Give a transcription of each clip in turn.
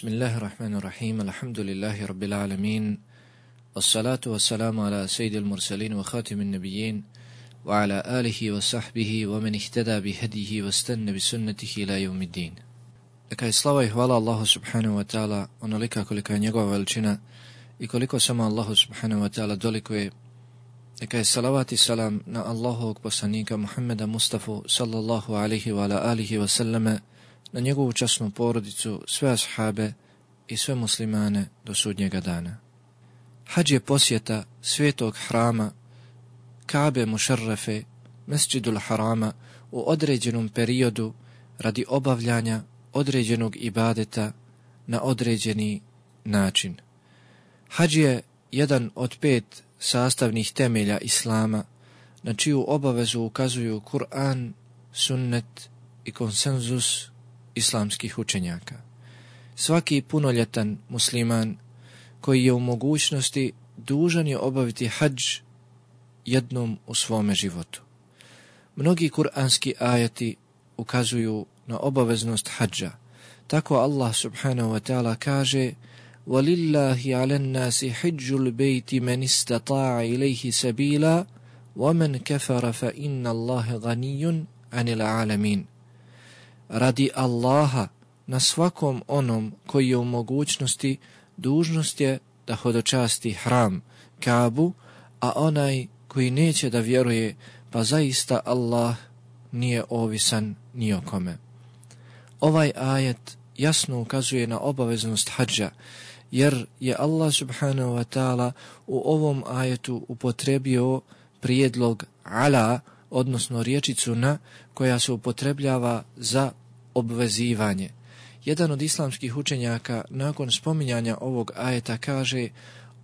Bismillahirrahmanirrahim, alhamdulillahi rabbil alamin, wassalatu wassalamu ala sayyidil mursalin wa khatimin nabiyyin, wa ala alihi wa sahbihi wa man ihtada bihadihi wa stanna bi sunnatihi ila yawmiddin. Neka je slava i hvala Allahu subhanahu wa ta'ala onolika kolika je njegova veličina i koliko samo Allahu subhanahu wa ta'ala dolikuje. Neka je salavat i salam na Allahovog poslanika Muhammeda Mustafa sallallahu alaihi wa ala alihi wa sallame, na njegovu časnu porodicu, sve ashabe i sve muslimane do sudnjega dana. Hadž je posjeta svetog hrama, Kabe Mušarrafe, Mesdžidul Harama u određenom periodu radi obavljanja određenog ibadeta na određeni način. Hadž je jedan od 5 sastavnih temelja Islama, na čiju obavezu ukazuju Kur'an, sunnet i konsenzus islamskih učenjaka. Svaki punoljetan musliman koji je u mogućnosti dužan je obaviti hadž jednom u svome životu. Mnogi kuranski ajati ukazuju na obaveznost hadža. Tako Allah subhanahu wa ta'ala kaže: وَلِلَّهِ عَلَى النَّاسِ حِجُّ الْبَيْتِ مَنِ اسْتَطَاعَ إِلَيْهِ سَبِيلًا وَمَنْ كَفَرَ فَإِنَّ اللَّهَ غَنِيٌّ عَنِ الْعَالَمِينَ. Radi Allaha na svakom onom koji je u mogućnosti, dužnost je da hodočasti hram, Kabu, a onaj koji neće da vjeruje, pa zaista Allah nije ovisan ni o kome. Ovaj ajet jasno ukazuje na obaveznost hadža, jer je Allah subhanahu wa ta'ala u ovom ajetu upotrebio prijedlog ala, odnosno riječicu na, koja se upotrebljava za obvezivanje. Jedan od islamskih učenjaka nakon spominjanja ovog ajeta kaže: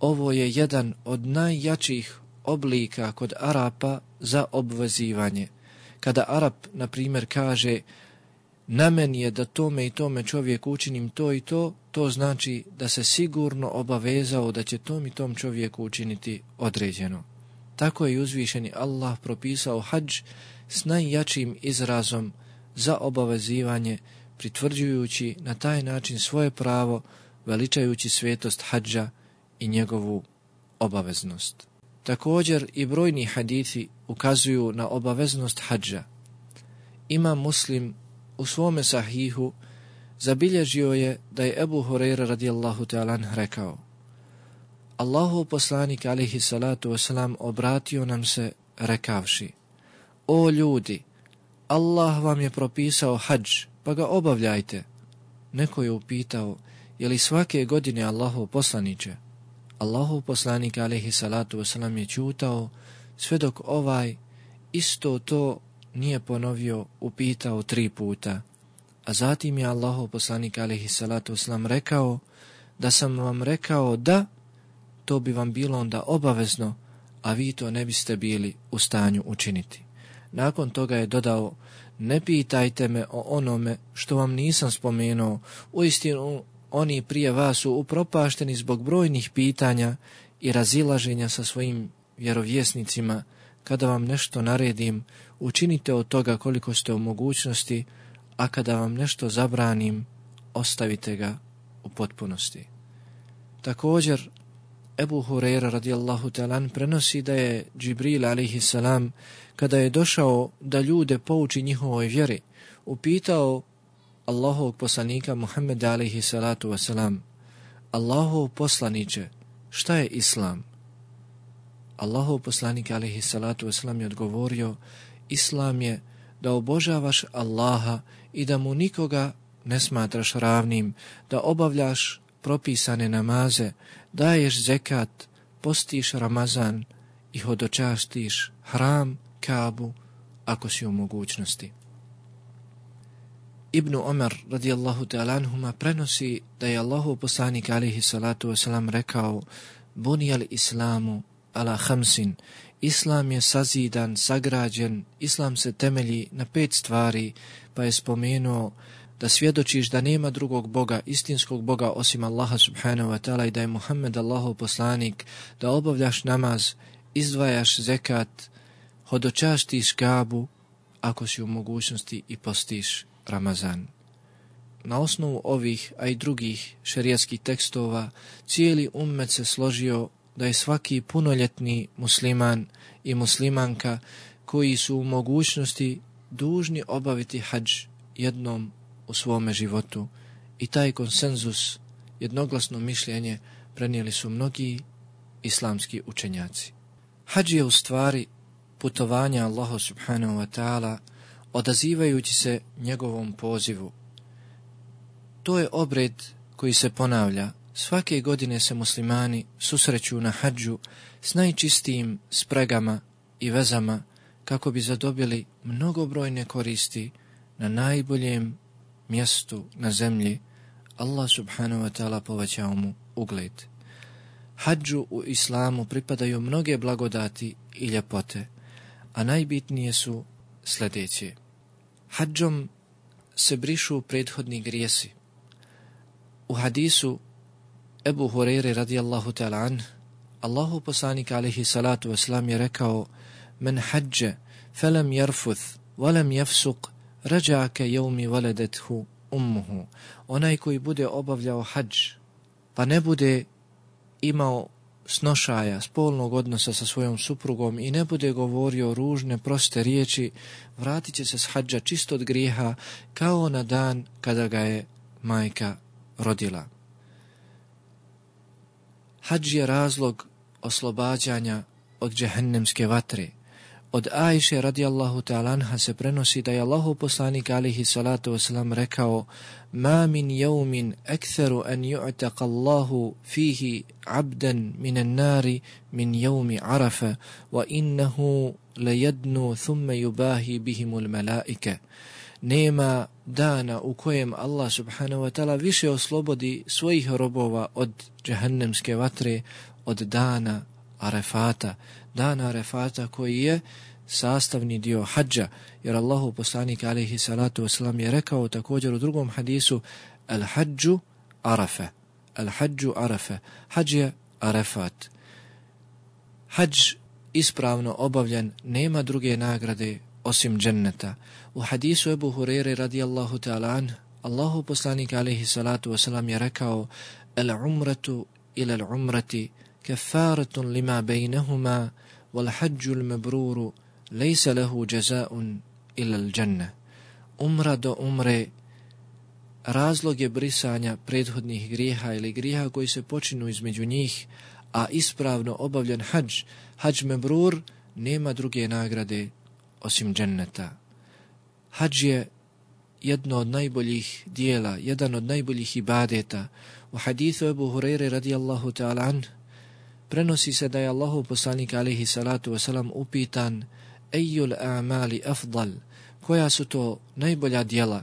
ovo je jedan od najjačih oblika kod Arapa za obvezivanje. Kada Arap, na primjer, kaže: na meni je da tome i tome čovjeku učinim to i to, to znači da se sigurno obavezao da će tom i tom čovjeku učiniti određeno. Tako je uzvišeni Allah propisao hadž s najjačim izrazom za obavezivanje, pritvrđujući na taj način svoje pravo, veličajući svetost hadža i njegovu obaveznost. Također i brojni hadithi ukazuju na obaveznost hadža. Imam Muslim u svome sahihu zabilježio je da je Ebu Hurajra radijallahu ta'ala rekao: Allahov poslanik alejhi salatu vesselam obratio nam se rekavši: o ljudi, Allah vam je propisao hadž, pa ga obavljajte. Neko je upitao: je li svake godine Allahov poslaniče? Allahov poslanik alejhi salatu vesselam je ćutao sve dok ovaj isto to nije ponovio, upitao 3 puta. A zatim je Allahov poslanik alejhi salatu vesselam rekao: da sam vam rekao da, to bi vam bilo onda obavezno, a vi to ne biste bili u stanju učiniti. Nakon toga je dodao: ne pitajte me o onome što vam nisam spomenuo, uistinu oni prije vas su upropašteni zbog brojnih pitanja i razilaženja sa svojim vjerovjesnicima. Kada vam nešto naredim, učinite od toga koliko ste u mogućnosti, a kada vam nešto zabranim, ostavite ga u potpunosti. Također, Ebu Hurajra radijallahu ta'ala prenosi da je Džibril alejhi salam, kada je došao da ljude pouči njihovoj vjeri, upitao Allahovog poslanika Muhammeda alejhi salatu wasalam: Allahov poslaniče, šta je Islam? Allahov poslanik alejhi salatu wasalam je odgovorio: Islam je da obožavaš Allaha i da mu nikoga ne smatraš ravnim, da obavljaš propisane namaze, daješ zekat, postiš Ramazan i hodočastiš hram, Kabu, ako si u mogućnosti. Ibn Omer radijallahu ta'ala anhuma prenosi da je Allahov poslanik alejhi salatu wasalam rekao: bunijal islamu ala khamsin, Islam je sazidan, sagrađen, Islam se temelji na 5 stvari, pa je spomenuo da svjedočiš da nema drugog Boga, istinskog Boga osim Allaha subhanahu wa ta'ala i da je Muhammed Allahov poslanik, da obavljaš namaz, izdvajaš zekat, hodočastiš Kabu, ako si u mogućnosti, i postiš Ramazan. na osnovu ovih, a i drugih šerijatskih tekstova, cijeli ummet se složio da je svaki punoljetni musliman i muslimanka koji su u mogućnosti dužni obaviti hadž jednom u svome životu. I taj konsenzus, jednoglasno mišljenje, prenijeli su mnogi islamski učenjaci. Hadž je u stvari putovanje Allahu subhanahu wa ta'ala odazivajući se njegovom pozivu. To je obred koji se ponavlja. Svake godine se muslimani susreću na hadžu s najčistijim spregama i vezama kako bi zadobili mnogobrojne koristi na najboljem mjestu na zemlji. Allah subhanahu wa ta'ala povećao mu ugled. Hadžu u islamu pripadaju mnoge blagodati i ljepote, a najbitnije su sljedeće. Hadžom se brišu prethodni grijesi. U hadisu Ebu Hureyre radijallahu ta'ala anh, Allahu poslanik alaihi salatu wasalam je rekao: Men hadže felem jarfuth valem jafsuq rađa'ake jevmi valedethu ummuhu. Onaj koji bude obavljao hadž pa ne bude imao snošaja, spolnog odnosa sa svojom suprugom i ne bude govorio ružne, proste riječi, vratit će se s hadža čisto od grijeha kao na dan kada ga je majka rodila. Hadž je razlog oslobađanja od džehennemske vatre. Od Ajše radijallahu ta'ala anha se prenosi da je Allahu poslanik alihi salatu wasalam rekao: Ma min jevmin ektheru an ju'taqa Allahu fihi abdan minan nari min jevmi Arafa wa innahu lejednu thumme yubahi bihimul melaike. Nema dana u kojem Allah subhanahu wa ta'ala više oslobodi svojih robova od džehennemske vatre od dana Arefata. Dana Arefata koji je sastavni dio hadža, jer Allahu poslanik alejhi salatu vesselam je rekao također u drugom hadisu: al hadžu Arafa, al hadžu Arafa, hadž je Arefat. Hadž ispravno obavljen nema druge nagrade osim dženneta. U hadisu Ebu Hureyre radijallahu ta'ala anh, Allahu poslanik alejhi salatu vesselam je rekao: al umratu ila al umrati kafaratun lima bejnehuma wal hadžu al mabruru lejse lehu jazaun ila al dženne. Umra do umre razlog je brisanja prethodnih grijeha ili grijeha koji se počinu između njih, a ispravno obavljen hadž, hadž mabrur, nema druge nagrade osim dženneta. Hadž je jedno od najboljih dijela, jedan od najboljih ibadeta. U hadithu Ebu Hureyre radijallahu ta'ala anh prenosi se da je Allahu poslanik alejhi salatu wasalam upitan: Ejul a'mali afdal, koja su to najbolja djela?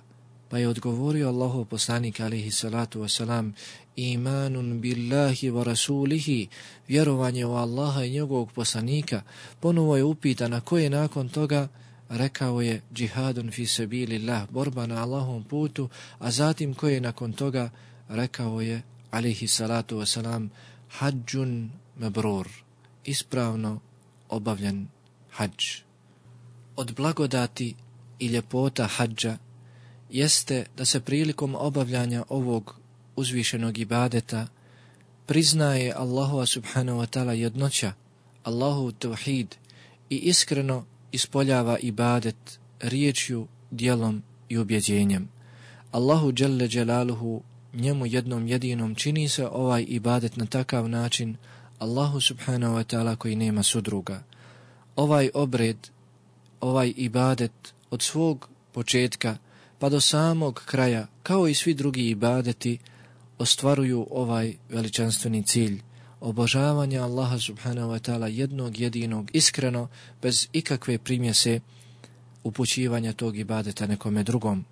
Pa je odgovorio Allahu poslanik alejhi salatu wasalam: imanun billahi wa rasulihi, vjerovanje u Allaha i njegovog poslanika. Ponovo je upitan a koje nakon toga? Rekao je: džihadun fi sabilillah, borba na Allahovom putu. A zatim koje nakon toga? Rekao je alejhi salatu wasalam: hadžun mabrur, ispravno obavljen hadž. Od blagodati i ljepota hadža jeste da se prilikom obavljanja ovog uzvišenog ibadeta priznaje Allahova subhanahu wa ta'ala jednoća, Allahu tevhid, i iskreno ispoljava ibadet riječju, djelom i ubjeđenjem. Allahu dželle dželaluhu, njemu jednom jedinom, čini se ovaj ibadet na takav način, Allahu subhanahu wa ta'ala koji nema sudruga. Ovaj obred, ovaj ibadet od svog početka pa do samog kraja, kao i svi drugi ibadeti, ostvaruju ovaj veličanstveni cilj obožavanja Allaha subhanahu wa ta'ala jednog jedinog, iskreno, bez ikakve primjese upućivanja tog ibadeta nekome drugom.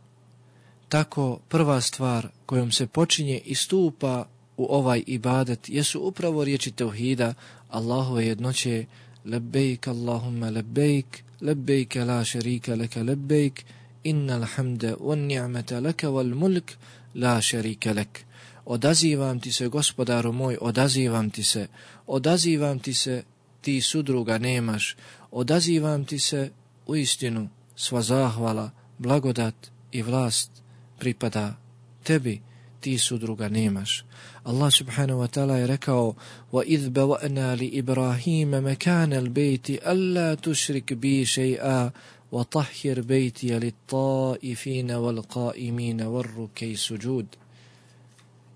Tako prva stvar kojom se počinje i stupa u ovaj ibadet jesu upravo riječi tevhida, Allahove jednoće: lebejk Allahumma lebejk, lebejk la šerika leka lebejk, innal hamde wan ni'mata laka wal mulk la šerika lek. Odazivam ti se, gospodaru moj, odazivam ti se, ti sudruga nemaš, odazivam ti se, uistinu sva zahvala, blagodat i vlast pripada tebi ti sudruga nemaš. Allah subhanahu wa ta'ala je rekao: وَإِذْ بَوَأْنَا لِإِبْرَاهِيمَ مَكَانَ الْبَيْتِ أَلَّا تُشْرِكْ بِي شَيْئًا وَطَهِّرْ بَيْتِيَ لِلطَّائِفِينَ وَالْقَائِمِينَ وَالرُّكَّعِ سُجُودِ.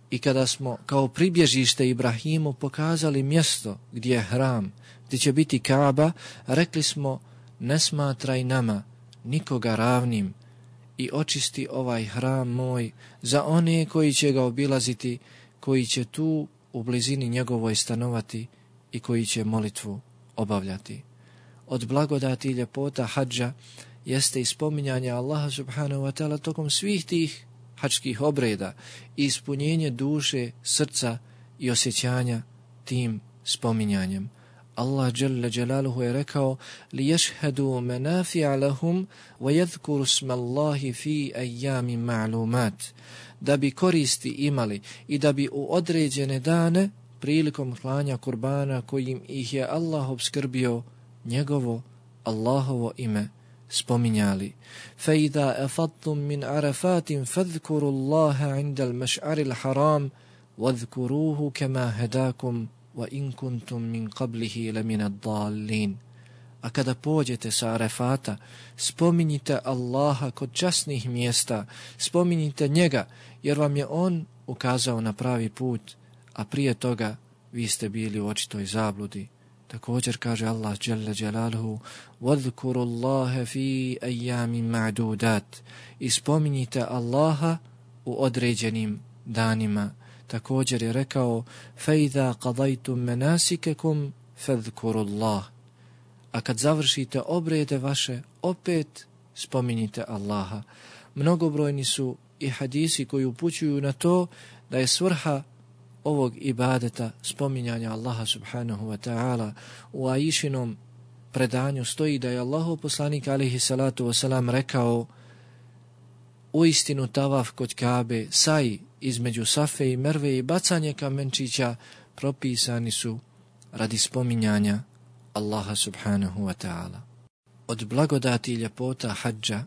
I kada smo kao pribježište Ibrahimu pokazali mjesto gdje je hram, gdje će biti Kaaba, rekli smo: ne smatraj nama nikoga ravnim i očisti ovaj hram moj za one koji će ga obilaziti, koji će tu u blizini njegovoj stanovati i koji će molitvu obavljati. Od blagodati i ljepota hadža jeste i spominjanje Allaha subhanahu wa ta'ala tokom svih tih hadžskih obreda i ispunjenje duše, srca i osjećanja tim spominjanjem. Allah dželle dželaluhu je rekao: لِيَشْهَدُوا مَنَافِعَ لَهُمْ وَيَذْكُرُوا اسْمَ اللَّهِ فِي أَيَّامٍ مَعْلُومَاتٍ, da bi koristi imali i da bi u određene dane prilikom klanja kurbana kojim ih je Allah obskrbio njegovo Allahovo ime spominjali. فَإِذَا أَفَضْتُم مِّنْ عَرَفَاتٍ فَاذْكُرُوا اللَّهَ عِنْدَ الْمَشْعَرِ الْحَرَامِ وَاذْكُرُوهُ كَمَا هَدَاكُمْ وَإِنْ كُنْتُمْ مِنْ قَبْلِهِ لَمِنَ الضَّالِّينَ. A kada pođete sa Arefata, spominjite Allaha kod časnih mjesta, spominjite njega, jer vam je on ukazao na pravi put, a prije toga vi ste bili u očitoj zabludi. Također kaže Allah dželle dželaluhu: وَذْكُرُوا اللَّهَ فِي أَيَّامٍ مَعْدُودَاتٍ, i spominjite Allaha u određenim danima. Također je rekao: فَإِذَا قَضَيْتُمْ مَنَاسِكَكُمْ فَاذْكُرُوا اللَّهَ, a kad završite obrede vaše, opet spominjite Allaha. Mnogobrojni su i hadisi koji upućuju na to da je svrha ovog ibadeta spominjanja Allaha subhanahu wa ta'ala. U Aišinom predanju stoji da je Allahov poslanik alejhi salatu vesselam rekao: uistinu tavaf kod Kabe, saj između Safe i Merve i bacanje kamenčića propisani su radi spominjanja Allaha subhanahu wa ta'ala. Od blagodati i ljepota hadža,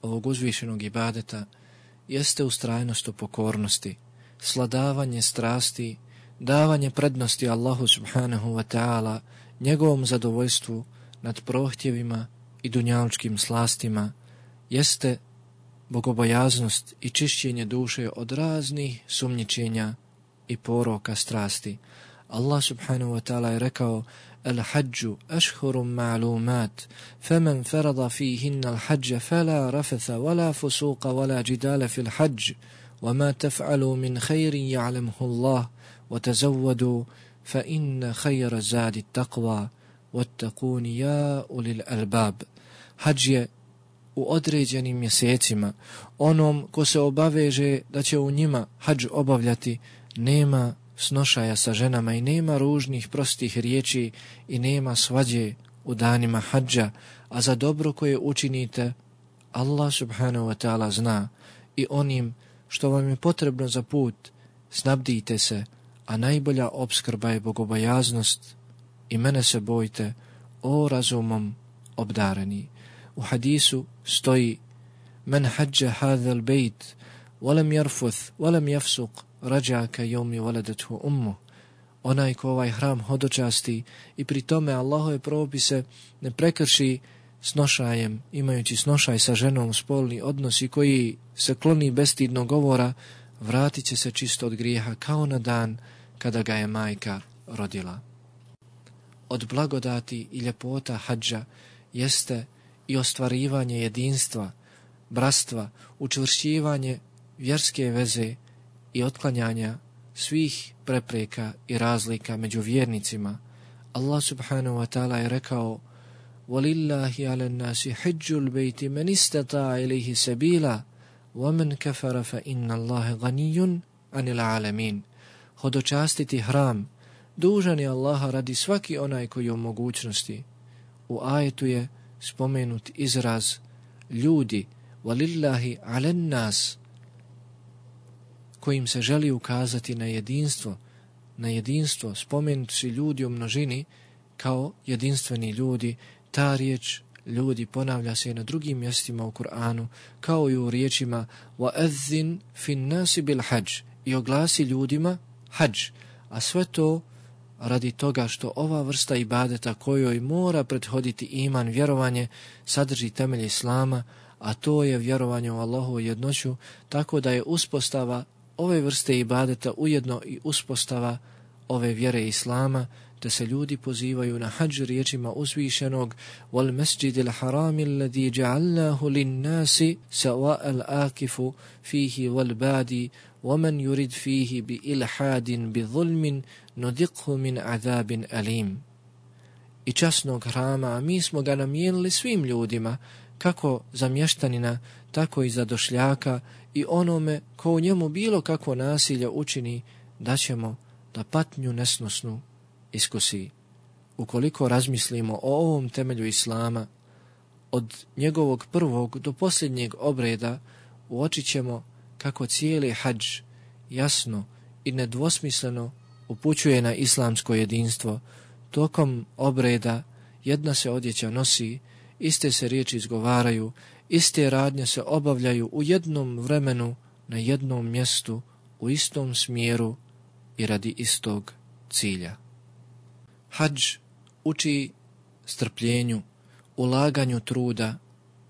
ovog uzvišenog ibadeta, jeste ustrajnost u pokornosti, sladavanje strasti, davanje prednosti Allahu subhanahu wa ta'ala, njegovom zadovoljstvu nad prohtjevima i dunjalučkim slastima, jeste bogobojaznost i čišćenje duše od raznih sumnjičenja i poroka strasti. Allah subhanahu wa ta'ala je rekao: الحج أشهر معلومات فمن فرض فيهن الحج فلا رفث ولا فسوق ولا جدال في الحج وما تفعلوا من خير يعلمه الله وتزودوا فإن خير الزاد التقوى واتقون يا أولي الألباب. Hadž je u određenim mjesecima. Onom ko se obaveže da će u njima hadž obavljati, nema snošaja sa ženama i nema ružnih prostih riječi i nema svađe u danima hadža, a za dobro koje učinite Allah subhanahu wa ta'ala zna, i onim što vam je potrebno za put snabdite se, a najbolja opskrba je bogobojaznost i mene se bojte, o razumom obdareni. U hadisu stoji: men hađa hadhal bejt walam yarfuth walam yafsuq rađa ka yawmi waladathu ummu. Onaj ko ovaj hram hodočasti i pri tome Allahove propise ne prekrši snošajem, imajući snošaj sa ženom, spolni odnos i koji se kloni bestidnog govora, vratit će se čisto od grijeha kao na dan kada ga je majka rodila. Od blagodati i ljepota hadža jeste i ostvarivanje jedinstva, bratstva, učvršćivanje vjerske veze i otklanjanja svih prepreka i razlika među vjernicima. Allah subhanahu wa ta'ala je rekao: وَلِلَّهِ عَلَى النَّاسِ حِجُّ الْبَيْتِ مَنِ اسْتَطَاعَ إِلَيْهِ سَبِيلًا وَمَنْ كَفَرَ فَإِنَّ اللَّهَ غَنِيٌّ عَنِ الْعَالَمِينَ. Hodočastiti hram dužan je Allaha radi svaki onaj koji je u mogućnosti. U ajetu je spomenut izraz ljudi, وَلِلَّهِ عَلَى النَّاسِ, kojim se želi ukazati na jedinstvo, spomenuti su ljudi u množini kao jedinstveni ljudi. Ta riječ ljudi ponavlja se i na drugim mjestima u Kur'anu, kao i u riječima وَأَذِّنْ فِي النَّاسِ بِالْحَجِّ i oglasi ljudima hadž, a sve to radi toga što ova vrsta ibadeta kojoj mora prethoditi iman, vjerovanje, sadrži temelje Islama, a to je vjerovanje u Allahovu jednoću, tako da je uspostava ove vrste ibadeta ujedno i uspostava ove vjere Islama, te se ljudi pozivaju na hadž riječima uzvišenog wal masjidil harami alladhi ja'alnahu lin-nasi sawa'al akifu fihi wal badi wa man yurid fihi bi ilhadin bi zulmin nudiqhu min azabin alim. I časnog hrama, a mi smo ga namijenili svim ljudima, kako za mještanina, tako i za došljaka, i onome ko u njemu bilo kakvo nasilje učini, da ćemo da patnju nesnosnu iskusi. Ukoliko razmislimo o ovom temelju Islama, od njegovog prvog do posljednjeg obreda, uočit ćemo kako cijeli hadž jasno i nedvosmisleno upućuje na islamsko jedinstvo. Tokom obreda jedna se odjeća nosi, iste se riječi izgovaraju, iste radnje se obavljaju u jednom vremenu, na jednom mjestu, u istom smjeru i radi istog cilja. Hadž uči strpljenju, ulaganju truda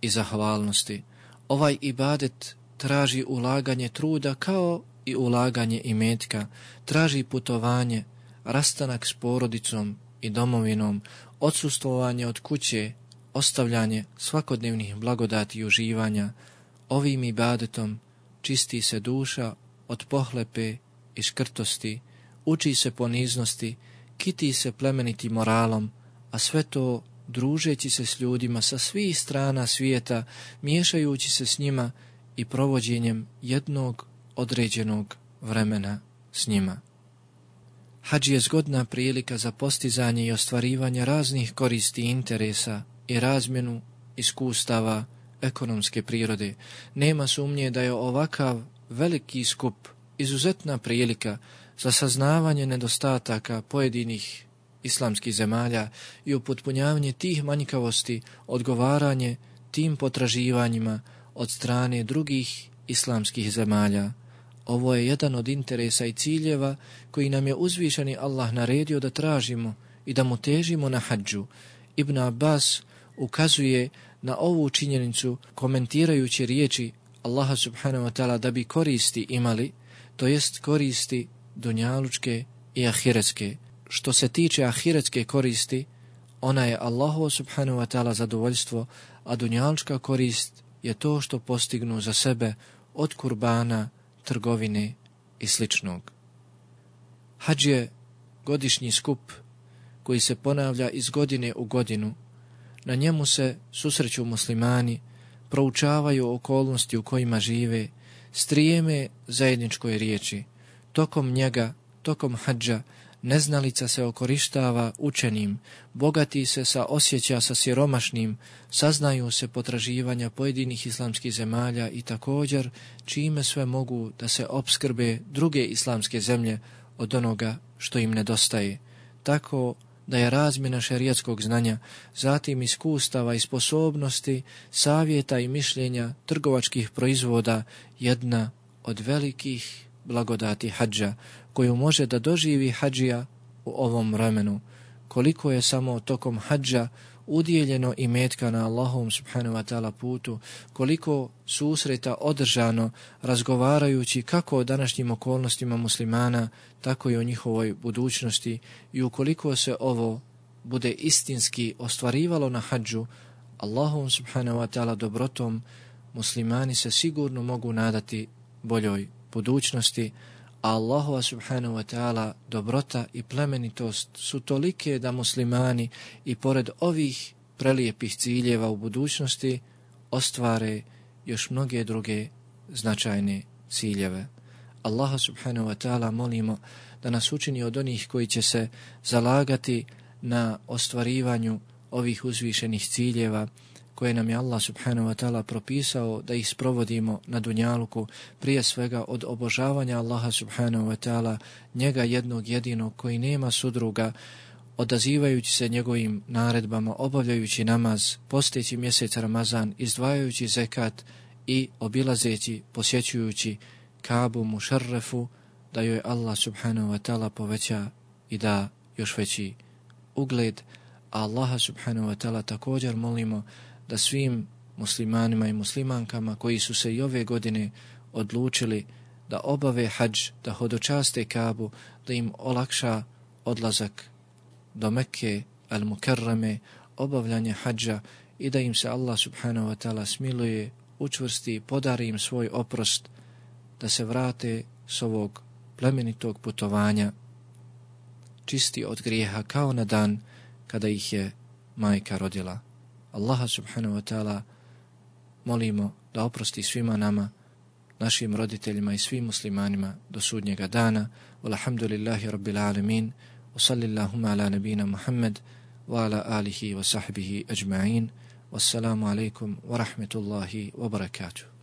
i zahvalnosti. Ovaj ibadet traži ulaganje truda kao i ulaganje imetka, traži putovanje, rastanak s porodicom i domovinom, odsustvovanje od kuće, ostavljanje svakodnevnih blagodati i uživanja. Ovim ibadetom čisti se duša od pohlepe i škrtosti, uči se poniznosti, kiti se plemenitim moralom, a sve to družeći se s ljudima sa svih strana svijeta, miješajući se s njima i provođenjem jednog određenog vremena s njima. Hadž je zgodna prilika za postizanje i ostvarivanje raznih koristi i interesa i razmjenu iskustava ekonomske prirode. Nema sumnje da je ovakav veliki skup izuzetna prilika za saznavanje nedostataka pojedinih islamskih zemalja i upotpunjavanje tih manjkavosti, odgovaranje tim potraživanjima od strane drugih islamskih zemalja. Ovo je jedan od interesa i ciljeva koji nam je uzvišeni Allah naredio da tražimo i da mu težimo na hadžu. Ibn Abbas ukazuje na ovu činjenicu komentirajući riječi Allaha subhanahu wa ta'ala da bi koristi imali, to jest koristi dunjalučke i ahiretske. Što se tiče ahiretske koristi, ona je Allahu subhanahu wa ta'ala zadovoljstvo, a dunjalučka korist je to što postignu za sebe od kurbana, trgovine i sličnog. Hadž je godišnji skup koji se ponavlja iz godine u godinu. Na njemu se susreću muslimani, proučavaju okolnosti u kojima žive, strijeme zajedničkoj riječi. Tokom njega, tokom hadža, neznalica se okorištava učenim, bogati se osjeća sa siromašnim, saznaju se potraživanja pojedinih islamskih zemalja i također čime sve mogu da se opskrbe druge islamske zemlje od onoga što im nedostaje. Tako da je razmjena šerijatskog znanja, zatim iskustava i sposobnosti, savjeta i mišljenja trgovačkih proizvoda jedna od velikih blagodati hadža, koju može da doživi hadžija u ovom vremenu. Koliko je samo tokom hadža udijeljeno imetka na Allahovom subhanahu wa ta'ala putu, koliko susreta održano razgovarajući kako o današnjim okolnostima muslimana, tako i o njihovoj budućnosti, i ukoliko se ovo bude istinski ostvarivalo na hadžu, Allahovom subhanahu wa ta'ala dobrotom, muslimani se sigurno mogu nadati boljoj budućnosti, a Allahova subhanahu wa ta'ala dobrota i plemenitost su tolike da muslimani i pored ovih prelijepih ciljeva u budućnosti ostvare još mnoge druge značajne ciljeve. Allaha subhanahu wa ta'ala molimo da nas učini od onih koji će se zalagati na ostvarivanju ovih uzvišenih ciljeva koje nam je Allah subhanahu wa ta'ala propisao da ih sprovodimo na dunjaluku, prije svega od obožavanja Allaha subhanahu wa ta'ala, njega jednog jedinog koji nema sudruga, odazivajući se njegovim naredbama, obavljajući namaz, posteći mjesec Ramazan, izdvajajući zekat i obilazeći, posjećujući Kabu Mušarrefu, da joj Allah subhanahu wa ta'ala poveća i da još veći ugled. A Allaha subhanahu wa ta'ala također molimo da svim muslimanima i muslimankama koji su se i ove godine odlučili da obave hadž, da hodočaste Kabu, da im olakša odlazak do Mekke al-Mukarrame, obavljanje hadža i da im se Allah subhanahu wa ta'ala smiluje, učvrsti, podari im svoj oprost, da se vrate s ovog plemenitog putovanja čisti od grijeha kao na dan kada ih je majka rodila. Allaha subhanahu wa ta'ala molimo da oprosti svima nama, našim roditeljima i svim muslimanima do sudnjega dana. Walhamdulillahi rabbil alamin. Wa sallillahuma ala nabina Muhammad wa ala alihi wa sahbihi ajma'in. Wassalamu alaikum wa rahmetullahi wa barakatuh.